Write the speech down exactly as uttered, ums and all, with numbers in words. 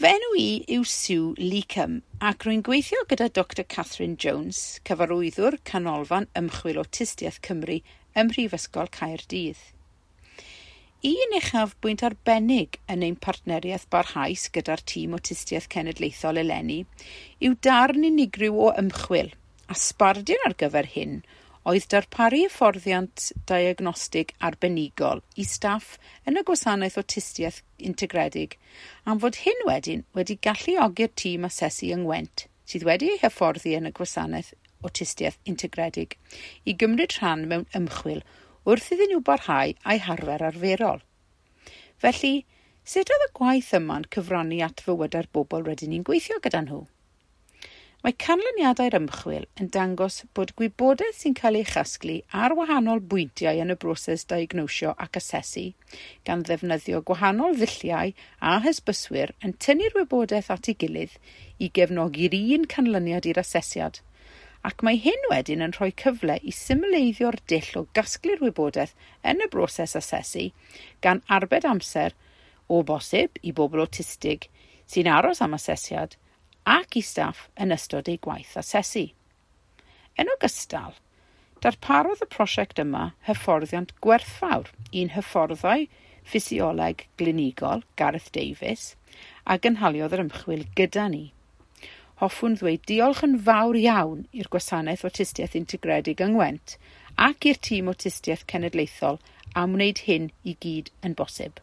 Fy enw i yw Sue Leacombe ac rwy'n gweithio gyda Doctor Catherine Jones, cyfarwyddwr Canolfan Ymchwil Awtistiaeth Cymru ym Mhrifysgol Caerdydd. Un uchafbwynt arbennig yn ein partneriaeth barhaus gyda'r tîm Awtistiaeth Cenedlaethol eleni yw darn unigryw o ymchwil, a sbardun ar gyfer hyn oedd darparu hyfforddiant diagnostig arbenigol i staff yn y gwasanaeth awtistiaeth integredig, am fod hyn wedyn wedi galluogi'r tîm asesu yng Ngwent, sydd wedi ei hyfforddi yn y gwasanaeth awtistiaeth integredig, i gymryd rhan mewn ymchwil wrth iddyn nhw barhau a'u harfer arferol. Felly, sut oedd y gwaith yma'n cyfrannu at fywydau'r bobl rydyn ni'n gweithio gyda nhw? Mae canlyniadau'r ymchwil yn dangos bod gwybodaeth sy'n cael ei chasglu ar wahanol bwyntiau yn y broses diagnosio ac asesu, gan ddefnyddio gwahanol ddulliau a hysbyswyr yn tynnu'r wybodaeth at ei gilydd i gefnogi'r un canlyniad i'r asesiad, ac mae hyn wedyn yn rhoi cyfle i symleiddio'r dull o gasglu'r wybodaeth yn y broses asesu, gan arbed amser, o bosib, i bobl awtistig sy'n aros am asesiad, ac i staff yn ystod eu gwaith asesu. Yn ogystal, darparodd y prosiect yma hyfforddiant gwerthfawr i'n hyfforddai ffisioleg glinigol, Gareth Davies, a gynhaliodd yr ymchwil gyda ni. Hoffwn ddweud diolch yn fawr iawn i'r Gwasanaeth Awtistiaeth Integredig yng Ngwent ac i'r tîm Awtistiaeth Cenedlaethol am wneud hyn i gyd yn bosib.